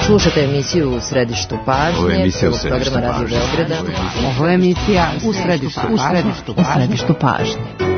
Slušate emisiju U središtu pažnje. Ovo je emisija U središtu programa Radio Beograda. Ovo je emisija U središtu pažnje.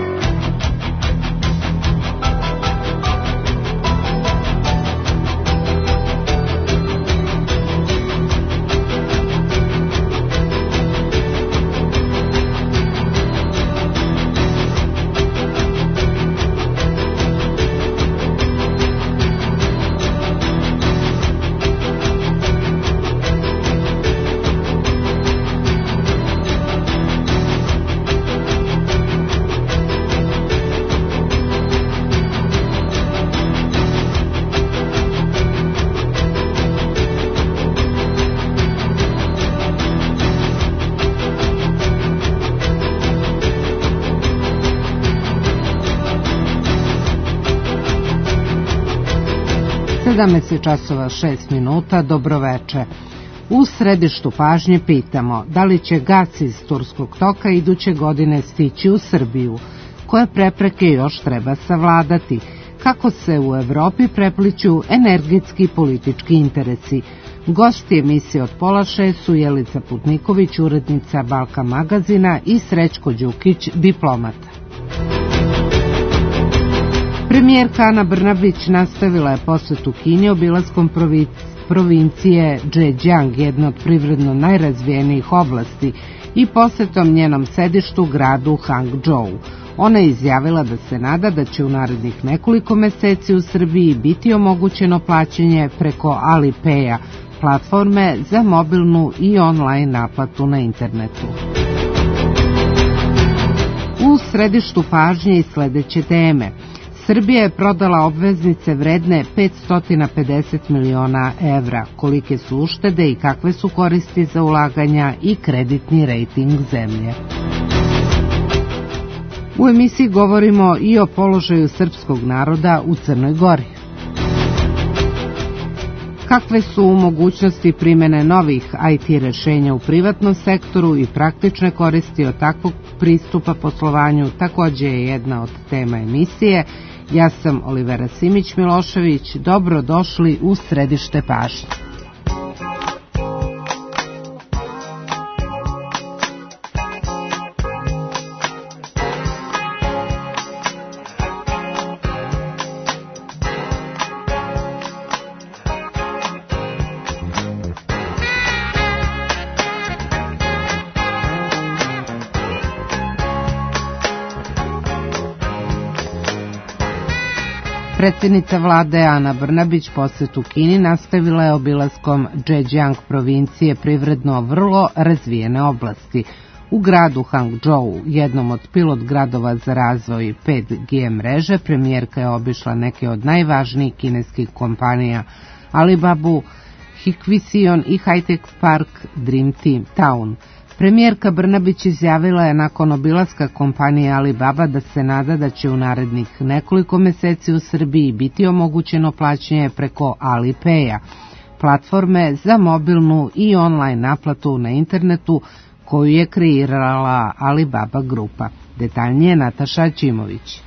Časova 6 minuta, dobroveče. U središtu pažnje pitamo da li će gas iz Turskog toka iduće godine stići u Srbiju, koje prepreke još treba savladati, kako se u Evropi prepliću energetski i politički interesi. Gosti emisije od pola 6 su Jelica Putniković, urednica Balkan magazina, i Srećko Đukić, diplomata. Premijerka Ana Brnabić nastavila je posetu Kini obilaskom provincije Zhejiang, jedne od privredno najrazvijenijih oblasti, i posetom njenom sedištu gradu Hangzhou. Ona je izjavila da se nada da će u narednih nekoliko meseci u Srbiji biti omogućeno plaćanje preko Alipaya, platforme za mobilnu i online naplatu na internetu. U središtu pažnje i sledeće teme. Srbija je prodala obveznice vredne 550 miliona evra. Kolike su uštede i kakve su koristi za ulaganja i kreditni rejting zemlje? U emisiji govorimo i o položaju srpskog naroda u Crnoj Gori. Kakve su mogućnosti primene novih IT rešenja u privatnom sektoru i praktične koristi od takvog pristupa poslovanju takođe je jedna od tema emisije. Ja sam Olivera Simić-Milošević, dobro došli u središte pažnje. Predsjednica vlade Ana Brnabić posetu Kini nastavila je obilaskom Zhejiang provincije, privredno vrlo razvijene oblasti. U gradu Hangzhou, jednom od pilot gradova za razvoj 5G mreže, premijerka je obišla neke od najvažnijih kineskih kompanija Alibabu, Hikvision i High-Tech Park Dream Team Town. Premijerka Brnabić izjavila je nakon obilaska kompanije Alibaba da se nada da će u narednih nekoliko meseci u Srbiji biti omogućeno plaćanje preko Alipaya, platforme za mobilnu i online naplatu na internetu koju je kreirala Alibaba grupa. Detaljnije Nataša Ćimović.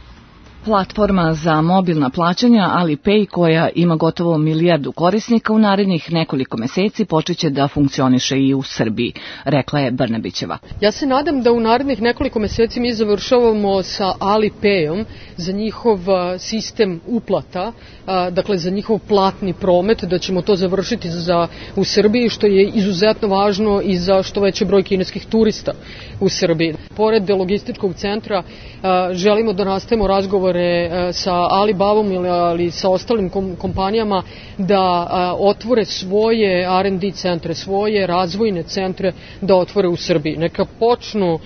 Platforma za mobilna plaćanja Alipay, koja ima gotovo 1 milijardu korisnika, u narednih nekoliko meseci počeće da funkcioniše i u Srbiji, rekla je Brnabićeva. Ja se nadam da u narednih nekoliko meseci mi završavamo sa Alipayom za njihov sistem uplata, dakle za njihov platni promet, da ćemo to završiti u Srbiji, što je izuzetno važno i za što veći broj kineskih turista u Srbiji. Pored logističkog centra želimo da nastavimo razgovore sa Alibabom ali sa ostalim kompanijama da otvore svoje R&D centre, svoje razvojne centre da otvore u Srbiji. Neka počnu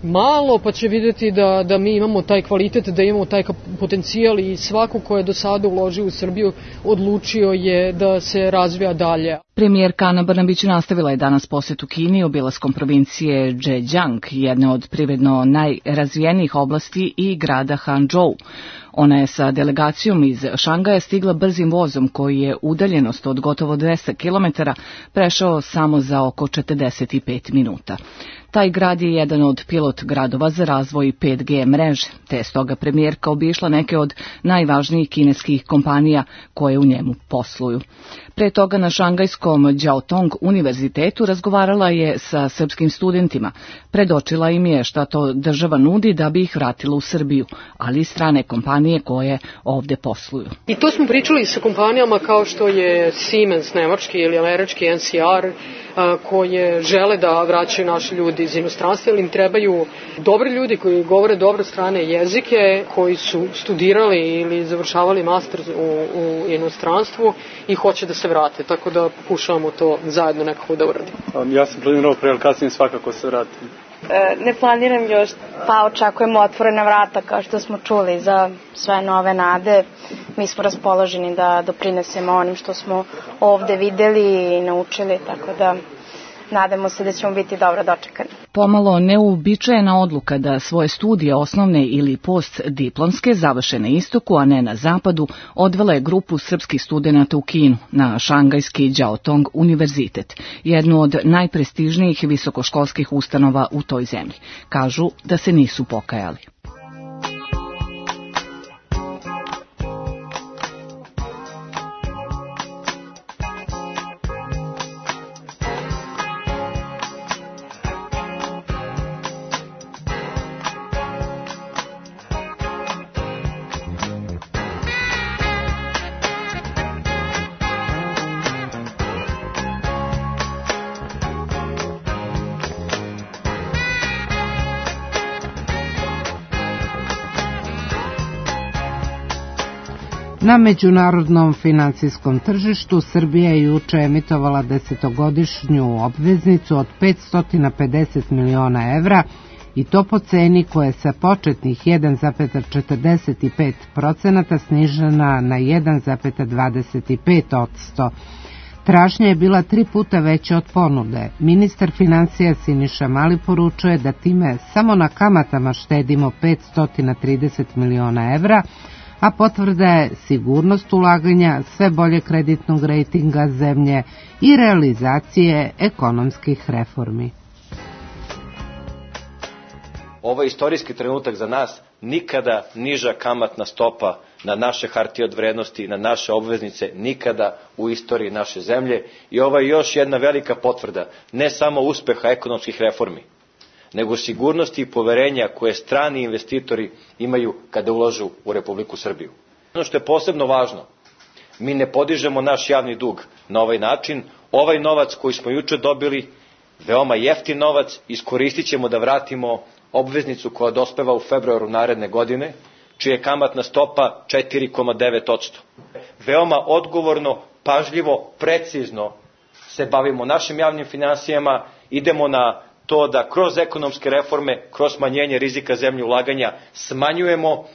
malo pa će vidjeti da mi imamo taj kvalitet, da imamo taj potencijal i svako ko je do sada uložio u Srbiju odlučio je da se razvija dalje. Premijerka Ana Brnabić nastavila je danas posetu Kini obilaskom provincije Zhejiang, jedne od privredno najrazvijenijih oblasti, i grada Hangzhou. Ona je sa delegacijom iz Šangaja stigla brzim vozom koji je udaljenost od gotovo 200 km prešao samo za oko 45 minuta. Taj grad je jedan od pilot gradova za razvoj 5G mreže, te je stoga premijerka obišla neke od najvažnijih kineskih kompanija koje u njemu posluju. Pre toga na šangajskom Jiaotong univerzitetu razgovarala je sa srpskim studentima. Predočila im je šta to država nudi da bi ih vratila u Srbiju, ali i strane kompanije koje ovde posluju. I to smo pričali sa kompanijama kao što je Siemens nemački ili američki NCR, koje žele da vraćaju naši ljudi iz inostranstva, ili im trebaju dobri ljudi koji govore dobro strane jezike, koji su studirali ili završavali master u inostranstvu i hoće da se vrate, tako da pokušavamo to zajedno nekako da uradimo. Ja sam planirao pre, ali kasnije svakako se vratim. Ne planiram još, pa očekujemo otvorena vrata kao što smo čuli za sve nove nade. Mi smo raspoloženi da doprinesemo onim što smo ovde videli i naučili, tako da nadamo se da ćemo biti dobro dočekani. Pomalo neuobičajena odluka da svoje studije osnovne ili postdiplomske završe na istoku, a ne na zapadu, odvela je grupu srpskih studenata u Kinu na šangajski Jiaotong univerzitet, jednu od najprestižnijih visokoškolskih ustanova u toj zemlji. Kažu da se nisu pokajali. Na međunarodnom financijskom tržištu Srbija je juče emitovala 10-godišnju obveznicu od 550 miliona evra i to po ceni koja je sa početnih 1,45% snižena na 1,25%. Tražnja je bila 3 puta veća od ponude. Ministar financija Siniša Mali poručuje da time samo na kamatama štedimo 530 miliona evra, a potvrda je sigurnost ulaganja, sve bolje kreditnog rejtinga zemlje i realizacije ekonomskih reformi. Ovo je istorijski trenutak za nas, nikada niža kamatna stopa na naše hartije od vrednosti, na naše obveznice, nikada u istoriji naše zemlje. I ovo je još jedna velika potvrda, ne samo uspeha ekonomskih reformi, nego sigurnosti i poverenja koje strani investitori imaju kada ulažu u Republiku Srbiju. Ono što je posebno važno, mi ne podižemo naš javni dug na ovaj način. Ovaj novac koji smo juče dobili, veoma jeftin novac, iskoristit ćemo da vratimo obveznicu koja dospeva u februaru naredne godine, čija je kamatna stopa 4,9%. Veoma odgovorno, pažljivo, precizno se bavimo našim javnim finansijama, idemo na to da kroz ekonomske reforme, kroz smanjenje rizika zemlje ulaganja smanjujemo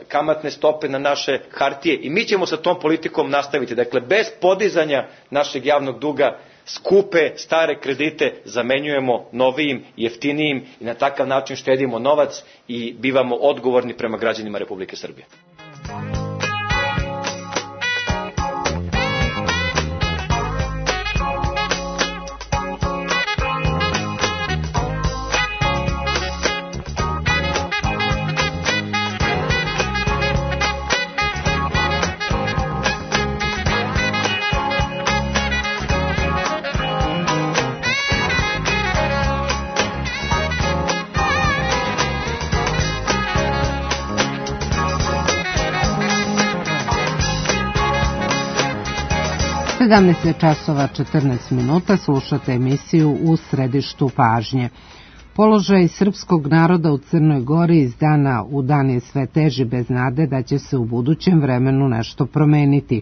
kamatne stope na naše hartije i mi ćemo sa tom politikom nastaviti. Dakle, bez podizanja našeg javnog duga skupe, stare kredite zamenjujemo novijim, jeftinijim i na takav način štedimo novac i bivamo odgovorni prema građanima Republike Srbije. časova 14 minuta, slušate emisiju U središtu pažnje. Položaj srpskog naroda u Crnoj Gori iz dana u dan je sve teži, bez nade da će se u budućem vremenu nešto promeniti.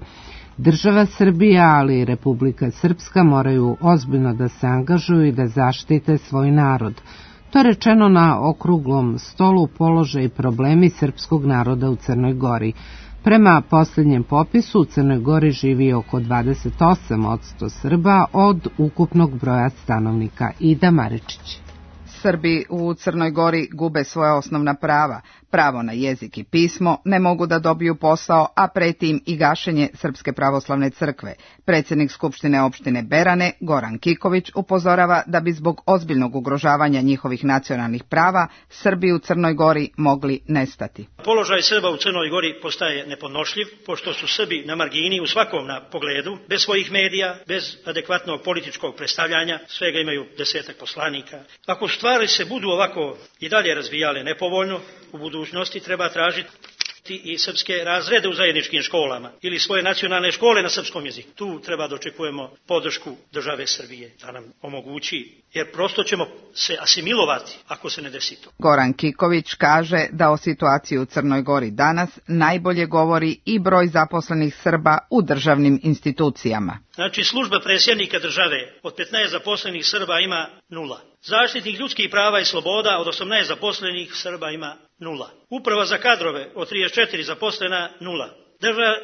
Država Srbija, ali i Republika Srpska moraju ozbiljno da se angažuju i da zaštite svoj narod. To je rečeno na okruglom stolu Položaj i problemi srpskog naroda u Crnoj Gori. Prema posljednjem popisu u Crnoj Gori živi oko 28% Srba od ukupnog broja stanovnika. Ida Maričić. Srbi u Crnoj Gori gube svoja osnovna prava. pravo na jezik i pismo, ne mogu da dobiju posao, a preti im i gašenje Srpske pravoslavne crkve. Predsjednik Skupštine opštine Berane, Goran Kiković, upozorava da bi zbog ozbiljnog ugrožavanja njihovih nacionalnih prava Srbi u Crnoj Gori mogli nestati. Položaj Srba u Crnoj Gori postaje nepodnošljiv, pošto su Srbi na margini u svakom pogledu, bez svojih medija, bez adekvatnog političkog predstavljanja, svega imaju 10 poslanika. Ako stvari se budu ovako i dalje razvijale nepovoljno, u budućnosti treba tražiti i srpske razrede u zajedničkim školama ili svoje nacionalne škole na srpskom jeziku. Tu treba da očekujemo podršku države Srbije da nam omogući, jer prosto ćemo se asimilovati ako se ne desi to. Goran Kiković kaže da o situaciji u Crnoj Gori danas najbolje govori i broj zaposlenih Srba u državnim institucijama. Znači, služba predsjednika države od 15 zaposlenih Srba ima 0. Zaštitnik ljudskih prava i sloboda od 18 zaposlenih Srba ima 0. Uprava za kadrove od 34 zaposlena 0.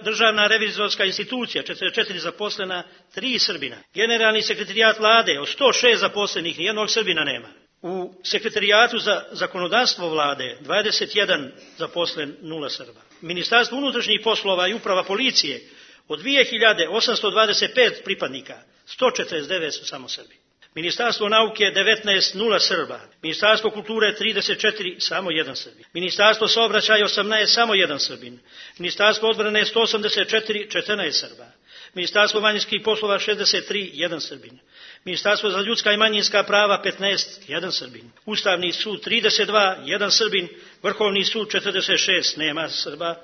Državna revizorska institucija 44 zaposlena 3 Srbina. Generalni sekretarijat vlade od 106 zaposlenih nijednog Srbina nema. U sekretarijatu za zakonodavstvo vlade 21 zaposlen 0 Srba. Ministarstvo unutrašnjih poslova i uprava policije od 2825 pripadnika 149 su samo Srbi. Ministarstvo nauke 19 0 Srba, Ministarstvo kulture 34 samo 1 Srbin, Ministarstvo saobraćaja 18 samo 1 Srbin, Ministarstvo odbrane 184 14 Srba, Ministarstvo vanjskih poslova 63 1 Srbin, Ministarstvo za ljudska i manjinska prava 15 1 Srbin, Ustavni sud 32 1 Srbin, Vrhovni sud 46 nema Srba,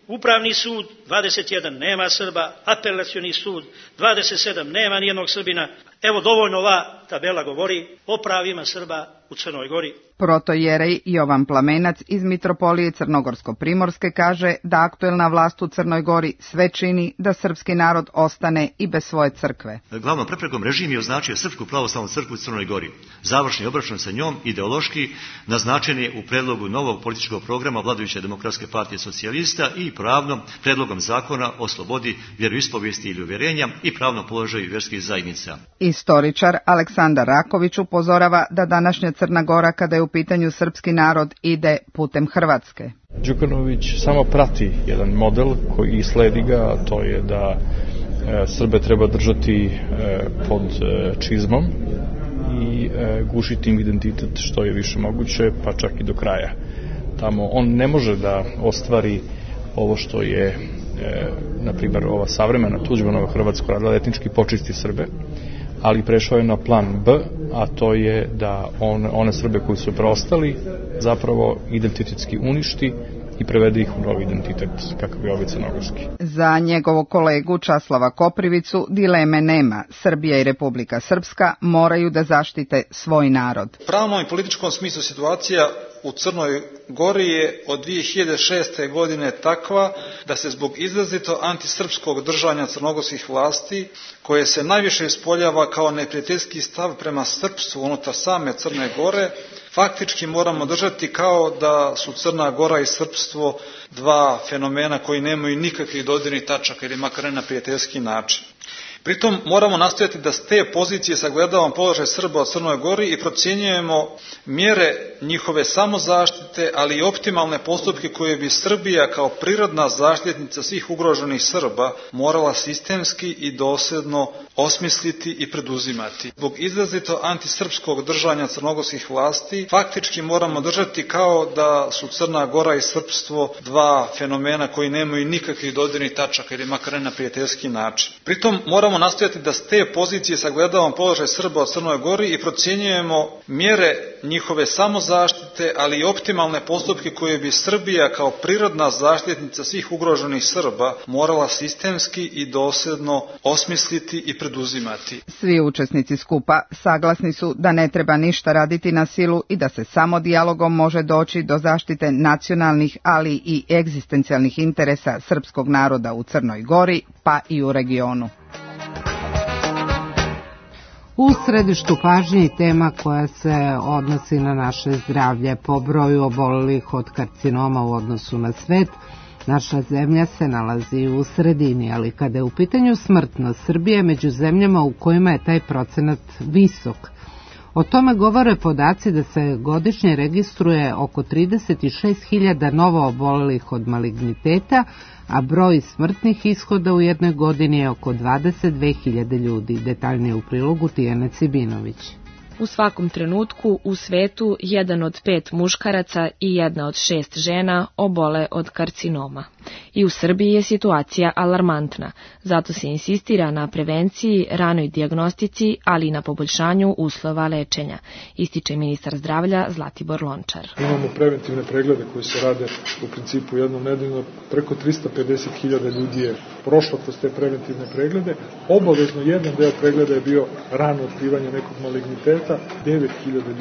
Upravni sud 21 nema Srba, Apelacioni sud 27 nema nijednog Srbina. Evo, dovoljno ova tabela govori o pravima Srba u Crnoj Gori. Protojerej Jovan Plamenac iz Mitropolije Crnogorsko-Primorske kaže da aktuelna vlast u Crnoj Gori sve čini da srpski narod ostane i bez svoje crkve. Glavnom preprekom režim je označio Srpsku pravoslavnu crkvu u Crnoj Gori. Završni obračun sa njom ideološki naznačen je u predlogu novog političkog programa vladajuće Demokratske partije socijalista i pravnom predlogom zakona o slobodi vjeroispovijesti ili uvjerenja i pravnom položaju vjerskih zajednica. Istoričar Aleksandar Raković upozorava da današnja Crna Gora, kada je u pitanju srpski narod, ide putem Hrvatske. Đukanović samo prati jedan model koji sledi ga, a to je da Srbe treba držati pod čizmom i gušiti im identitet što je više moguće, pa čak i do kraja. Tamo on ne može da ostvari ovo što je, na primjer, ova savremena Tuđmanova Hrvatska radila, etnički počisti Srbe, ali prešao je na plan B, a to je da one Srbe koji su preostali zapravo identitetski uništi i prevede ih u novi identitet, kakav je ovaj crnogorski. Za njegovog kolegu Časlava Koprivicu dileme nema. Srbija i Republika Srpska moraju da zaštite svoj narod. U pravnom i političkom smislu situacija u Crnoj Gori je od 2006. godine takva da se zbog izrazito antisrpskog držanja crnogorskih vlasti, koje se najviše ispoljava kao neprijateljski stav prema srpstvu unutar same Crne Gore, faktički moramo držati kao da su Crna Gora i srpstvo dva fenomena koji nemaju nikakvih dodirnih tačaka ili makar ne na prijateljski način. Pritom moramo nastojati da s te pozicije sagledavamo položaj Srba u Crnoj Gori i procjenjujemo mjere njihove samozaštite, ali i optimalne postupke koje bi Srbija kao prirodna zaštitnica svih ugroženih Srba morala sistemski i dosljedno osmisliti i preduzimati. Zbog izrazito antisrpskog držanja crnogorskih vlasti, faktički moramo držati kao da su Crna Gora i srpstvo dva fenomena koji nemaju nikakvih dodirnih tačaka ili makar ne na prijateljski način. Pritom moramo nastojati da s te pozicije sagledavamo položaj Srba u Crnoj Gori i procjenjujemo mjere njihove samozaštite, ali i optimalne postupke koje bi Srbija kao prirodna zaštitnica svih ugroženih Srba morala sistemski i dosljedno osmisliti i preduzimati. Svi učesnici skupa saglasni su da ne treba ništa raditi na silu i da se samo dijalogom može doći do zaštite nacionalnih, ali i egzistencijalnih interesa srpskog naroda u Crnoj Gori, pa i u regionu. U središtu pažnje i tema koja se odnosi na naše zdravlje. Po broju obolelih od karcinoma u odnosu na svet, naša zemlja se nalazi u sredini, ali kada je u pitanju smrtnost, Srbija je među zemljama u kojima je taj procenat visok. O tome govore podaci da se godišnje registruje oko 36.000 novo obolelih od maligniteta, a broj smrtnih ishoda u jednoj godini je oko 22.000 ljudi. Detaljnije u prilogu Tijana Cibinović. U svakom trenutku u svetu 1 od 5 muškaraca i 1 od 6 žena obole od karcinoma. I u Srbiji je situacija alarmantna, zato se insistira na prevenciji, ranoj dijagnostici, ali i na poboljšanju uslova lečenja, ističe ministar zdravlja Zlatibor Lončar. Imamo preventivne preglede koji se rade u principu jednom nedeljno. Preko 350.000 ljudi je prošlo kroz te preventivne preglede. Obavezno jedan deo pregleda je bio rano otkrivanje nekog maligniteta. 9.000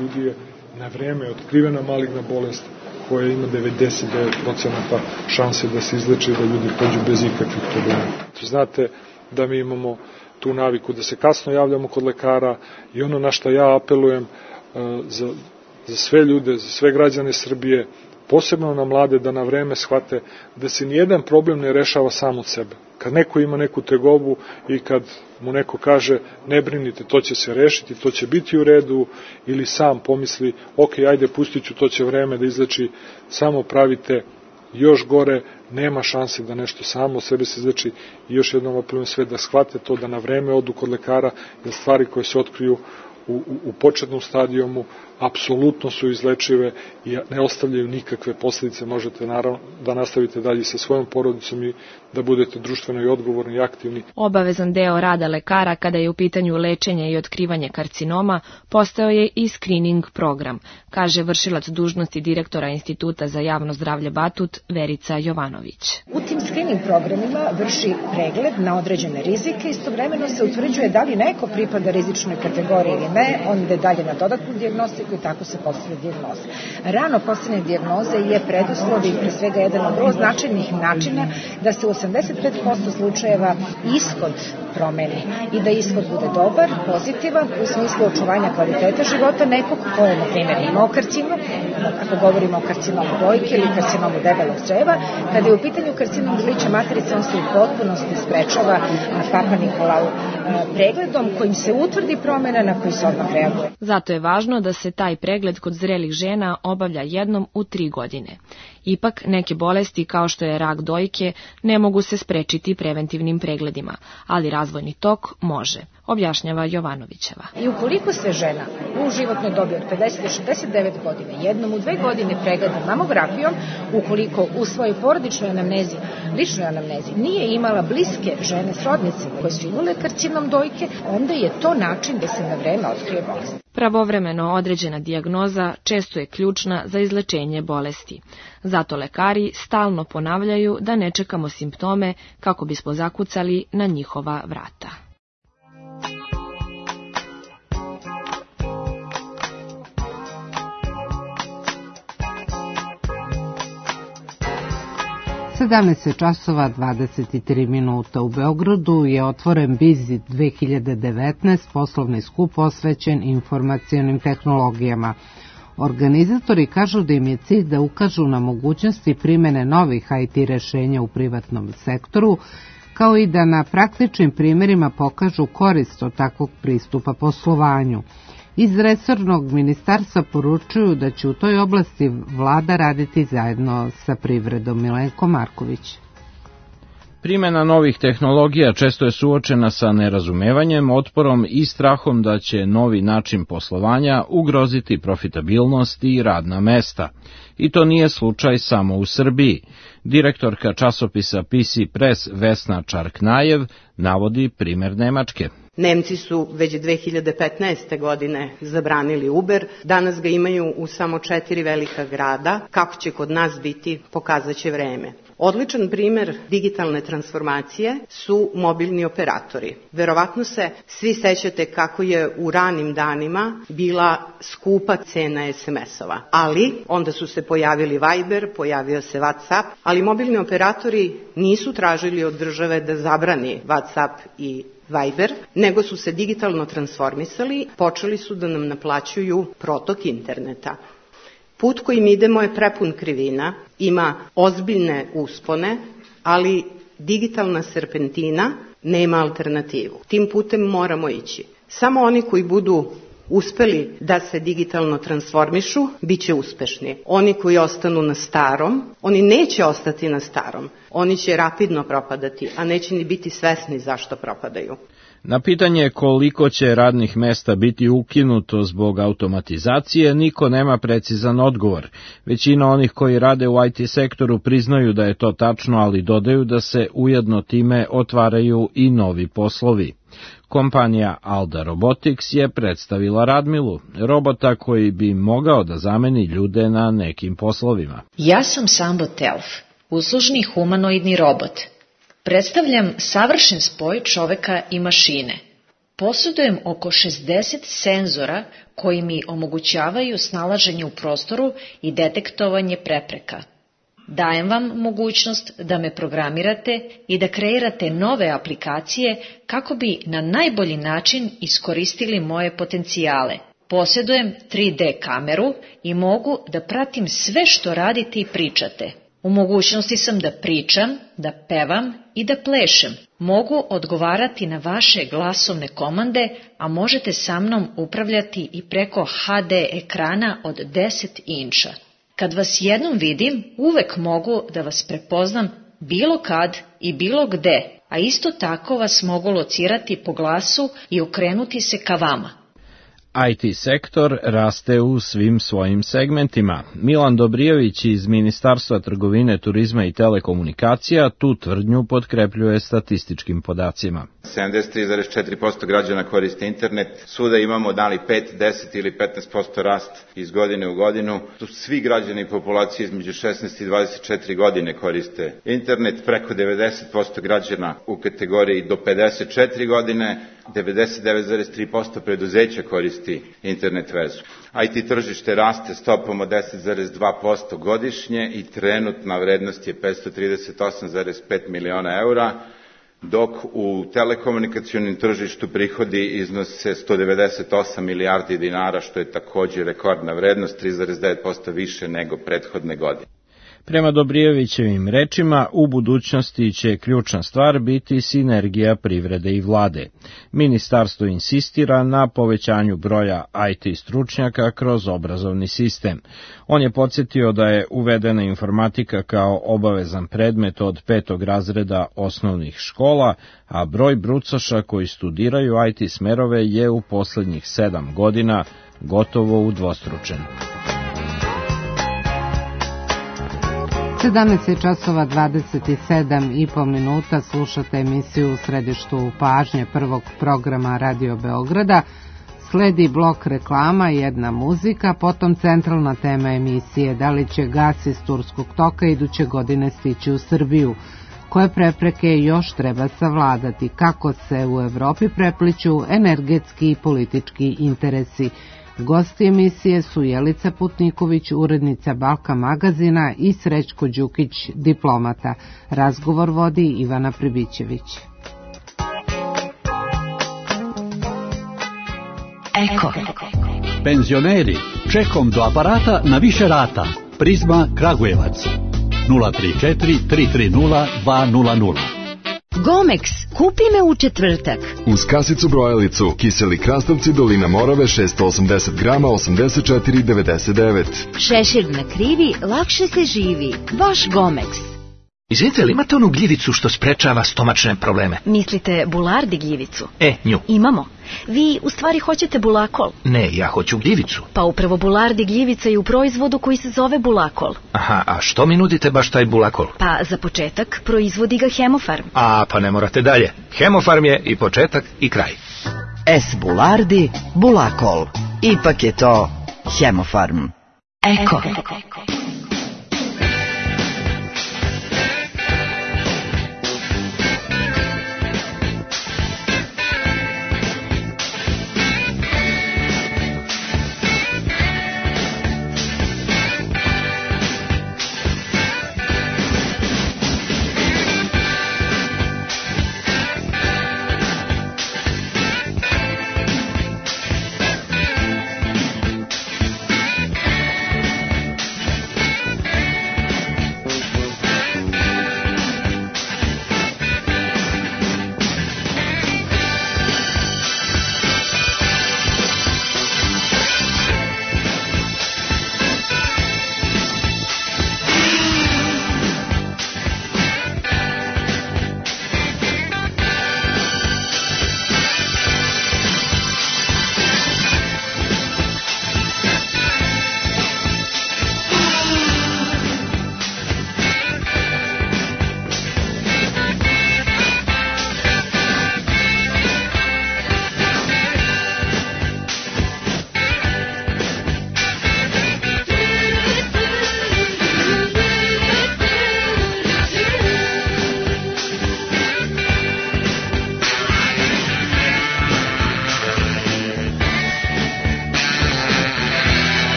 ljudi je na vreme otkrivena maligna bolest koja ima 99% šanse da se izleči i da ljudi pođu bez ikakvih problema. Znate da mi imamo tu naviku da se kasno javljamo kod lekara i ono na što ja apelujem za sve ljude, za sve građane Srbije, posebno na mlade, da na vreme shvate da se nijedan problem ne rešava sam od sebe. Kad neko ima neku tegobu i kad mu neko kaže ne brinite, to će se rešiti, to će biti u redu, ili sam pomisli ok, ajde pustit ću, to će vreme da izleči, samo pravite još gore, nema šanse da nešto samo od sebe se izleči. I još jednom apelujem sve da shvate to, da na vreme odu kod lekara, da stvari koje se otkriju u početnom stadijumu apsolutno su izlečive i ne ostavljaju nikakve posljedice. Možete naravno da nastavite dalje sa svojom porodicom i da budete društveno i odgovorni i aktivni. Obavezan deo rada lekara kada je u pitanju lečenje i otkrivanje karcinoma postao je i screening program, kaže vršilac dužnosti direktora Instituta za javno zdravlje Batut Verica Jovanović. U tim screening programima vrši pregled na određene rizike, istovremeno se utvrđuje da li neko pripada rizičnoj kategoriji ili ne, onda dalje na dodatnu dijagnostiku i tako se postavlja dijagnoza. Rano postavljanje dijagnoze je preduslov i pre svega jedan od vrlo značajnih načina da se u 85% slučajeva ishod promeni i da ishod bude dobar, pozitivan u smislu očuvanja kvaliteta života nekog ko je, na primjer, imao karcinom, ako govorimo o karcinomu dojke ili karcinomu debelog creva. Kada je u pitanju karcinom grlića materice, on se u potpunosti sprečava Papa Nikolau pregledom kojim se utvrdi promjena na koju se odmah reaguje. Zato je važno da se taj pregled kod zrelih žena obavlja jednom u 3 godine. Ipak, neke bolesti kao što je rak dojke ne mogu se sprečiti preventivnim pregledima, ali razvojni tok može, objašnjava Jovanovićeva. I ukoliko se žena u životnoj dobi od 50 do 69 godine jednom u 2 godine pregleda mamografijom, ukoliko u svojoj porodičnoj anamnezi, ličnoj anamnezi, nije imala bliske žene srodnice koje su imale karcinom dojke, onda je to način da se na vreme otkrije bolest. Pravovremeno određena dijagnoza često je ključna za izlečenje bolesti. Zato lekari stalno ponavljaju da ne čekamo simptome kako bismo zakucali na njihova vrata. časova 23 minuta. U Beogradu je otvoren Bizit 2019, poslovni skup posvećen informacionim tehnologijama. Organizatori kažu da im je cilj da ukažu na mogućnosti primjene novih IT rešenja u privatnom sektoru, kao i da na praktičnim primjerima pokažu korist od takvog pristupa poslovanju. Iz resornog ministarstva poručuju da će u toj oblasti vlada raditi zajedno sa privredom. Milenko Marković. Primjena novih tehnologija često je suočena sa nerazumevanjem, otporom i strahom da će novi način poslovanja ugroziti profitabilnost i radna mesta. I to nije slučaj samo u Srbiji. Direktorka časopisa PC Press Vesna Čarknajev navodi primjer Nemačke. Nemci su već 2015. godine zabranili Uber, danas ga imaju u samo 4 velika grada. Kako će kod nas biti, pokazat će vreme. Odličan primjer digitalne transformacije su mobilni operatori. Verovatno se svi sećate kako je u ranim danima bila skupa cena SMS-ova, ali onda su se pojavili Viber, pojavio se WhatsApp, ali mobilni operatori nisu tražili od države da zabrani WhatsApp i Viber, nego su se digitalno transformisali, počeli su da nam naplaćuju protok interneta. Put kojim idemo je prepun krivina, ima ozbiljne uspone, ali digitalna serpentina nema alternativu. Tim putem moramo ići. Samo oni koji budu uspeli da se digitalno transformišu, bit će uspešni. Oni koji ostanu na starom, oni neće ostati na starom. Oni će rapidno propadati, a neće ni biti svesni zašto propadaju. Na pitanje koliko će radnih mesta biti ukinuto zbog automatizacije, niko nema precizan odgovor. Većina onih koji rade u IT sektoru priznaju da je to tačno, ali dodaju da se ujedno time otvaraju i novi poslovi. Kompanija Alda Robotics je predstavila Radmilu, robota koji bi mogao da zameni ljude na nekim poslovima. Ja sam Sambo Telf, uslužni humanoidni robot. Predstavljam savršen spoj čoveka i mašine. Posjedujem oko 60 senzora koji mi omogućavaju snalaženje u prostoru i detektovanje prepreka. Dajem vam mogućnost da me programirate i da kreirate nove aplikacije kako bi na najbolji način iskoristili moje potencijale. Posjedujem 3D kameru i mogu da pratim sve što radite i pričate. U mogućnosti sam da pričam, da pevam i da plešem. Mogu odgovarati na vaše glasovne komande, a možete sa mnom upravljati i preko HD ekrana od 10 inča. Kad vas jednom vidim, uvek mogu da vas prepoznam bilo kad i bilo gde, a isto tako vas mogu locirati po glasu i okrenuti se ka vama. IT sektor raste u svim svojim segmentima. Milan Dobrijević iz Ministarstva trgovine, turizma i telekomunikacija tu tvrdnju potkrepljuje statističkim podacima. 73,4% građana koriste internet, svuda imamo da li 5, 10 ili 15% rast iz godine u godinu. Tu svi građani populacije između 16 i 24 godine koriste internet, preko 90% građana u kategoriji do 54 godine, 99,3% preduzeća koristi internet vezu. IT tržište raste stopom od 10,2% godišnje i trenutna vrednost je 538,5 miliona eura, dok u telekomunikacionim tržištu prihodi iznose 198 milijardi dinara, što je također rekordna vrednost, 3,9% više nego prethodne godine. Prema Dobrijevićevim rečima, u budućnosti će ključna stvar biti sinergija privrede i vlade. Ministarstvo insistira na povećanju broja IT stručnjaka kroz obrazovni sistem. On je podsjetio da je uvedena informatika kao obavezan predmet od 5. razreda osnovnih škola, a broj brucoša koji studiraju IT smerove je u poslednjih 7 godina gotovo udvostručen. 17 časova 27,5 minuta, slušate emisiju u središtu pažnje prvog programa Radio Beograda. Sledi blok reklama i jedna muzika, potom centralna tema emisije: da li će gas iz Turskog toka iduće godine stići u Srbiju, koje prepreke još treba savladati, kako se u Evropi prepliću energetski i politički interesi. Gosti emisije su Jelica Putniković, urednica Balkan magazina, i Srećko Đukić, diplomata. Razgovor vodi Ivana Pribićević. Eko. Penzioneri, čekom do aparata na više rata. Prizma Kragujevac. 034 330 200. Gomex, kupi me u četvrtak. Uz kasicu brojalicu, kiseli krastavci Dolina Morave 680 grama 84,99. Šešir na krivi, lakše se živi. Baš Gomex. Izvinite, li imate onu gljivicu što sprečava stomačne probleme? Mislite bulardi gljivicu? Nju. Imamo. Vi u stvari hoćete bulakol? Ne, ja hoću gljivicu. Pa upravo bulardi gljivica je u proizvodu koji se zove bulakol. Aha, a što mi nudite baš taj bulakol? Pa za početak proizvodi ga Hemofarm. A, pa ne morate dalje. Hemofarm je i početak i kraj. S bulardi, bulakol. Ipak je to Hemofarm. Eko.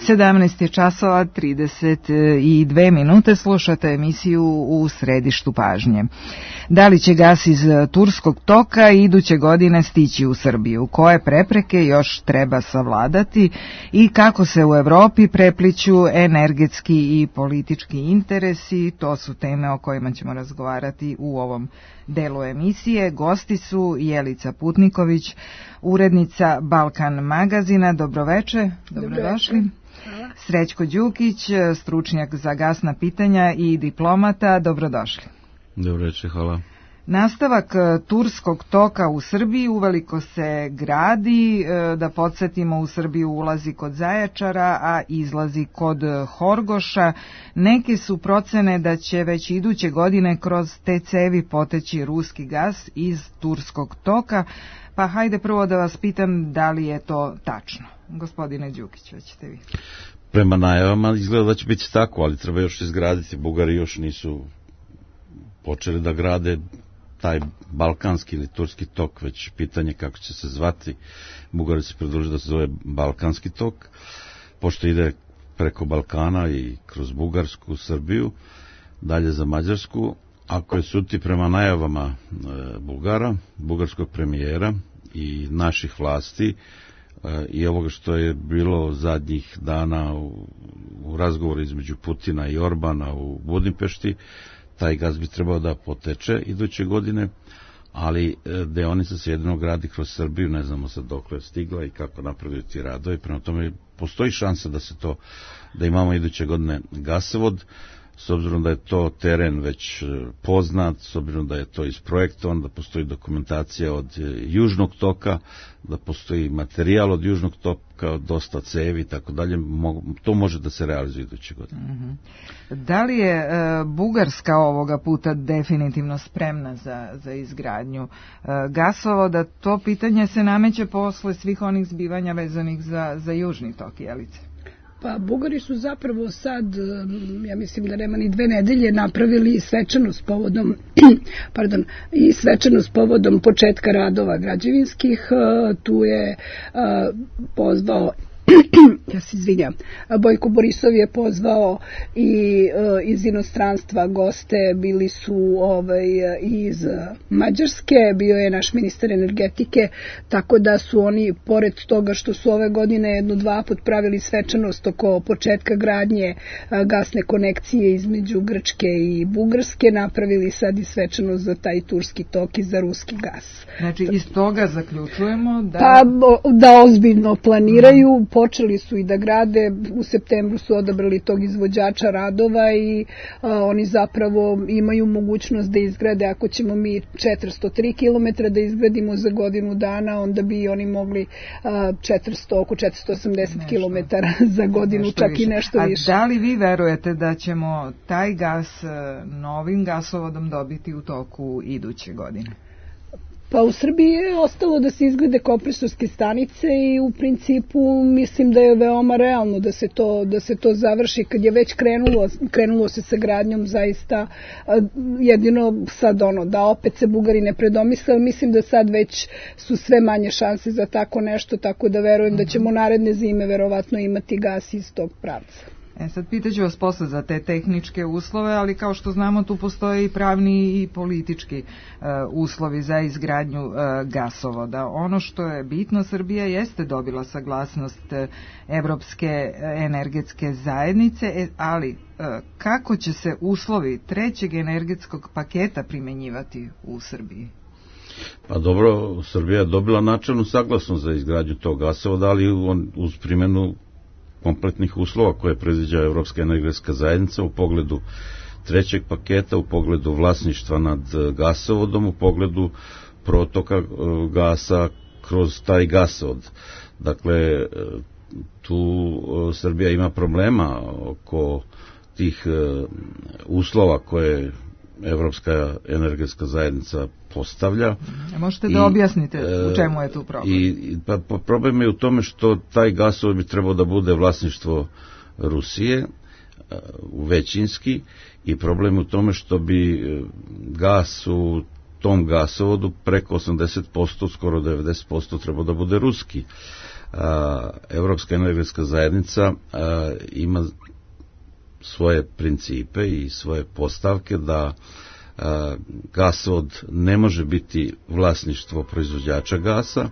Sedamnaest časova 32 minute, slušate emisiju U središtu pažnje. Da li će gas iz Turskog toka iduće godine stići u Srbiju? Koje prepreke još treba savladati i kako se u Evropi prepliću energetski i politički interesi? To su teme o kojima ćemo razgovarati u ovom delu emisije. Gosti su Jelica Putniković, urednica Balkan magazina. Dobroveče, dobrodošli. Srećko Đukić, stručnjak za gasna pitanja i diplomata. Dobrodošli. Dobroveče, hvala. Nastavak Turskog toka u Srbiji uveliko se gradi, da podsjetimo, u Srbiju ulazi kod Zaječara, a izlazi kod Horgoša. Neke su procene da će već iduće godine kroz te cevi poteći ruski gas iz Turskog toka, pa hajde prvo da vas pitam da li je to tačno. Gospodine Đukić, hoćete vi? Prema najavama izgleda da će biti tako, ali treba još izgraditi. Bugari još nisu počeli da grade taj balkanski ili turski tok, već pitanje kako će se zvati. Bugari se predložili da se zove balkanski tok, pošto ide preko Balkana i kroz Bugarsku, Srbiju, dalje za Mađarsku. Ako je suti prema najavama Bugara, bugarskog premijera i naših vlasti i ovoga što je bilo zadnjih dana u razgovoru između Putina i Orbana u Budimpešti, taj gaz bi trebao da poteče iduće godine, ali deonica se jedino gradi kroz Srbiju, ne znamo sad dokle je stigla i kako napravljaju ti radovi, prema tome postoji šansa da imamo iduće godine gasovod, s obzirom da je to teren već poznat, s obzirom da je to isprojektovan, da postoji dokumentacija od južnog toka, da postoji materijal od južnog toka, dosta cevi i tako dalje, to može da se realizuje iduće godine. Da li je Bugarska ovoga puta definitivno spremna za izgradnju gasovoda? To pitanje se nameće posle svih onih zbivanja vezanih za južni tok, Jelice. Pa Bugari su zapravo sad, ja mislim da nema ni 2 nedelje, napravili svečanost povodom početka radova građevinskih. Tu je pozvao ja se izvinjam, Bojko Borisov je pozvao i iz inostranstva goste, bili su iz Mađarske, bio je naš ministar energetike, tako da su oni, pored toga što su ove godine 1-2 put pravili svečanost oko početka gradnje gasne konekcije između Grčke i Bugarske, napravili sad i svečanost za taj turski tok i za ruski gas. Znači iz toga zaključujemo da ozbiljno planiraju. Počeli su i da grade, u septembru su odabrali tog izvođača radova i oni zapravo imaju mogućnost da izgrade, ako ćemo mi 403 km da izgradimo za godinu dana, onda bi oni mogli oko 480 km za godinu, čak i nešto više. A da li vi verujete da ćemo taj gas novim gasovodom dobiti u toku iduće godine? Pa u Srbiji je ostalo da se izgrade kompresorske stanice i u principu mislim da je veoma realno da se to završi kad je već krenulo se sa gradnjom zaista jedino sad da opet se Bugari ne predomisle, ali mislim da sad već su sve manje šanse za tako nešto, tako da verujem da ćemo naredne zime verovatno imati gas iz tog pravca. Sad pitaću vas posle za te tehničke uslove, ali kao što znamo tu postoje i pravni i politički uslovi za izgradnju gasovoda. Ono što je bitno, Srbija jeste dobila saglasnost Evropske energetske zajednice, ali kako će se uslovi trećeg energetskog paketa primenjivati u Srbiji? Pa dobro, Srbija je dobila načelnu saglasnost za izgradnju tog gasovoda, ali uz primjenu kompletnih uslova koje predviđa Evropska energetska zajednica u pogledu trećeg paketa, u pogledu vlasništva nad gasovodom, u pogledu protoka gasa kroz taj gasovod. Dakle, tu Srbija ima problema oko tih uslova koje Evropska energetska zajednica postavlja. Možete da objasnite u čemu je tu problem? Problem je u tome što taj gasovod bi trebao da bude vlasništvo Rusije, većinski, i problem je u tome što bi gas u tom gasovodu preko 80%, skoro 90% trebao da bude ruski. Evropska energetska zajednica ima svoje principe i svoje postavke da gasovod ne može biti vlasništvo proizvođača gasa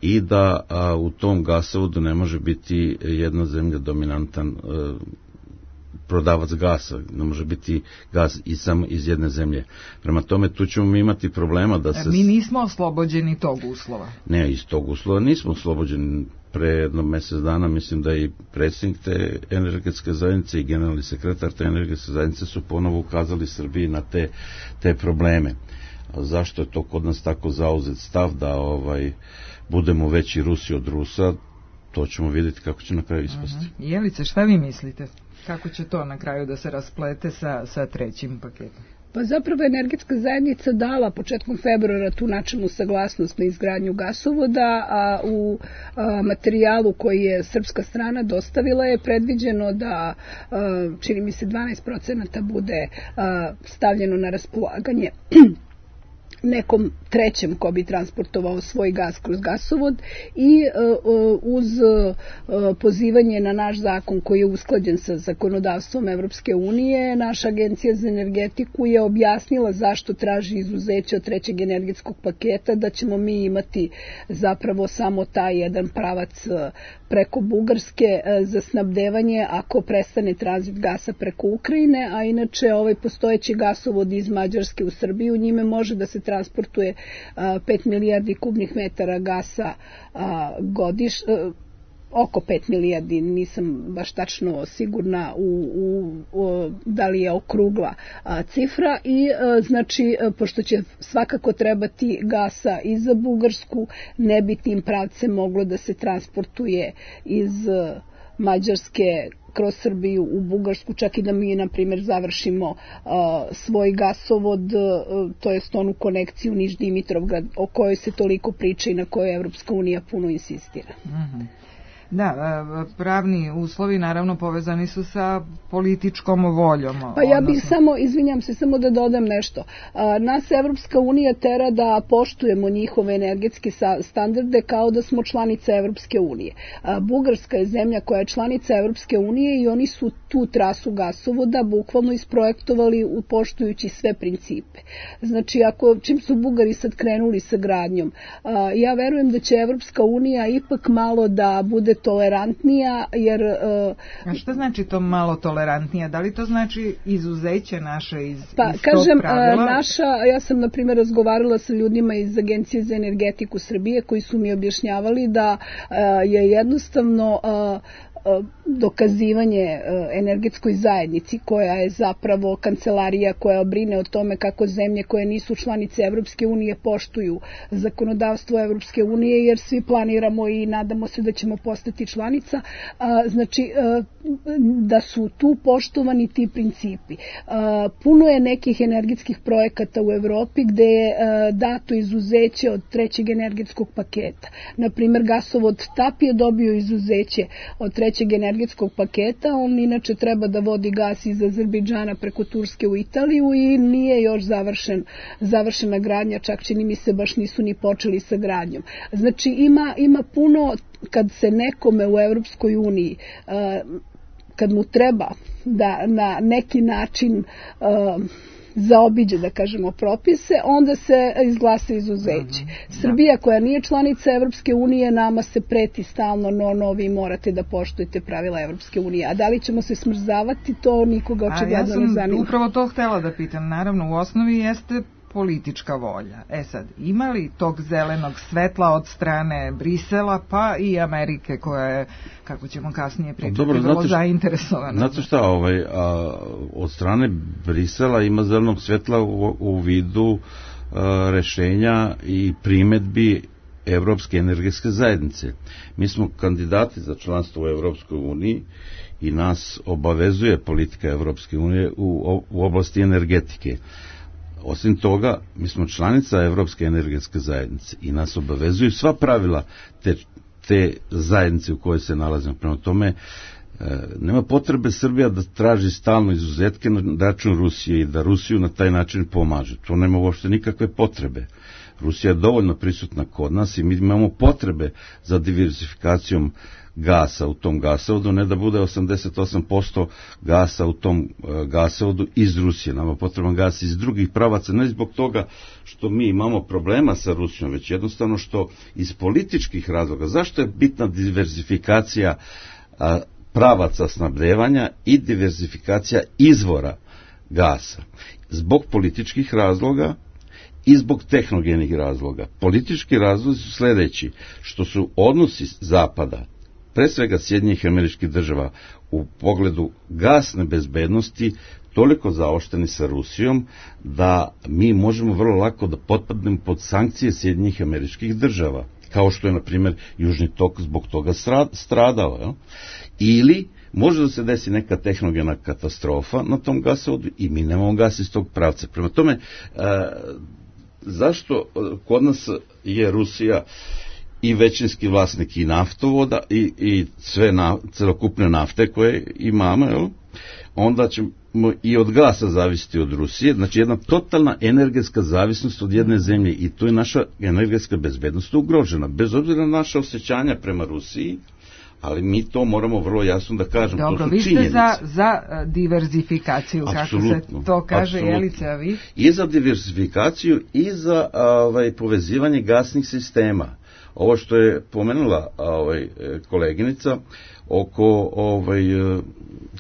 i da u tom gasovodu ne može biti jedna zemlja dominantan prodavac gasa, ne može biti gas i samo iz jedne zemlje. Prema tome, tu ćemo mi imati problema da se... Mi nismo oslobođeni tog uslova. Ne, iz tog uslova nismo oslobođeni. Pre jedno mjesec dana mislim da i predsjednik te energetske zajednice i generalni sekretar te energetske zajednice su ponovo ukazali Srbiji na te probleme. A zašto je to kod nas tako zauzet stav da budemo veći Rusi od Rusa, to ćemo vidjeti kako će na kraju ispasti. Jelice, šta vi mislite? Kako će to na kraju da se rasplete sa trećim paketom? Pa zapravo energetska zajednica dala početkom februara tu načelnu saglasnost na izgradnju gasovoda, a u materijalu koji je srpska strana dostavila je predviđeno da čini mi se 12% bude stavljeno na raspolaganje nekom trećem ko bi transportovao svoj gas kroz gasovod i uz pozivanje na naš zakon koji je usklađen sa zakonodavstvom Evropske unije, naša agencija za energetiku je objasnila zašto traži izuzeće od trećeg energetskog paketa, da ćemo mi imati zapravo samo taj jedan pravac preko Bugarske za snabdevanje ako prestane tranzit gasa preko Ukrajine, a inače ovaj postojeći gasovod iz Mađarske u Srbiju, njime može da se transportuje 5 milijardi kubnih metara gasa oko 5 milijardi, nisam baš tačno sigurna da li je okrugla cifra i znači pošto će svakako trebati gasa i za Bugarsku, ne bi tim pravcem moglo da se transportuje iz Mađarske kroz Srbiju u Bugarsku, čak i da mi, na primjer, završimo svoj gasovod, to jest onu konekciju Niš-Dimitrovgrad, o kojoj se toliko priča i na kojoj Evropska unija puno insistira. Da, pravni uslovi naravno povezani su sa političkom voljom. Pa ja bih izvinjam se, samo da dodam nešto. Nas Evropska unija tera da poštujemo njihove energetske standarde kao da smo članica Evropske unije. Bugarska je zemlja koja je članica Evropske unije i oni su tu trasu gasovoda bukvalno isprojektovali poštujući sve principe. Znači, čim su Bugari sad krenuli sa gradnjom, ja verujem da će Evropska unija ipak malo da bude tolerantnija, jer... A šta znači to malo tolerantnija? Da li to znači izuzeće naše iz tog pravila? Ja sam, na primjer, razgovarala sa ljudima iz Agencije za energetiku Srbije koji su mi objašnjavali da je jednostavno dokazivanje energetskoj zajednici koja je zapravo kancelarija koja brine o tome kako zemlje koje nisu članice Evropske unije poštuju zakonodavstvo Evropske unije, jer svi planiramo i nadamo se da ćemo postati članica. Znači da su tu poštovani ti principi. Puno je nekih energetskih projekata u Evropi gde je dato izuzeće od trećeg energetskog paketa. Naprimer, gasovod TAP je dobio izuzeće od trećeg energetskog paketa. On inače treba da vodi gas iz Azerbejdžana preko Turske u Italiju i nije još završena gradnja, čak čini mi se baš nisu ni počeli sa gradnjom. Znači ima puno, kad se nekome u Evropskoj uniji kad mu treba da na neki način zaobiđe, da kažemo, propise, onda se izglasa izuzeće. Srbija koja nije članica Evropske unije, nama se preti stalno, vi morate da poštujete pravila Evropske unije. A da li ćemo se smrzavati, to nikoga očigledno ne zanima. Ja sam upravo to htela da pitam. Naravno, u osnovi jeste politička volja. Sad, ima li tog zelenog svetla od strane Brisela, pa i Amerike koja je, kako ćemo kasnije pričati, vrlo zainteresovana? Znate šta, od strane Brisela ima zelenog svetla u vidu rešenja i primetbi Evropske energetske zajednice. Mi smo kandidati za članstvo u Evropskoj uniji i nas obavezuje politika Evropske unije u oblasti energetike. Osim toga, mi smo članica Evropske energetske zajednice i nas obavezuju sva pravila te zajednice u kojoj se nalazimo. Prema tome, nema potrebe Srbija da traži stalno izuzetke na račun Rusije i da Rusiju na taj način pomaže. To nema uopšte nikakve potrebe. Rusija je dovoljno prisutna kod nas i mi imamo potrebe za diversifikacijom gasa u tom gasovodu, ne da bude 88% gasa u tom gasovodu iz Rusije. Nama potreban gas iz drugih pravaca, ne zbog toga što mi imamo problema sa Rusijom, već jednostavno što iz političkih razloga. Zašto je bitna diversifikacija pravaca snabdevanja i diversifikacija izvora gasa? Zbog političkih razloga i zbog tehnogenih razloga. Politički razlozi su sljedeći, što su odnosi Zapada, pre svega Sjedinjenih Američkih Država, u pogledu gasne bezbednosti toliko zaošteni sa Rusijom da mi možemo vrlo lako da potpadnemo pod sankcije Sjedinjenih Američkih Država, kao što je, na primjer, Južni tok zbog toga stradao. Jel? Ili može da se desi neka tehnogena katastrofa na tom gasovodu i mi nemamo gas iz tog pravca. Prema tome, zašto kod nas je Rusija i većinski vlasnik i naftovoda i celokupne nafte koje imamo, jel? Onda ćemo i od gasa zavisiti od Rusije, znači jedna totalna energetska zavisnost od jedne zemlje i tu je naša energetska bezbednost ugrožena, bez obzira na naše osjećanja prema Rusiji, ali mi to moramo vrlo jasno da kažemo. Dobro, to su činjenice. Vi ste za diverzifikaciju, absolutno, kako se to kaže, Jelice, a vi? I za diverzifikaciju i za povezivanje gasnih sistema. Ovo što je pomenula koleginica oko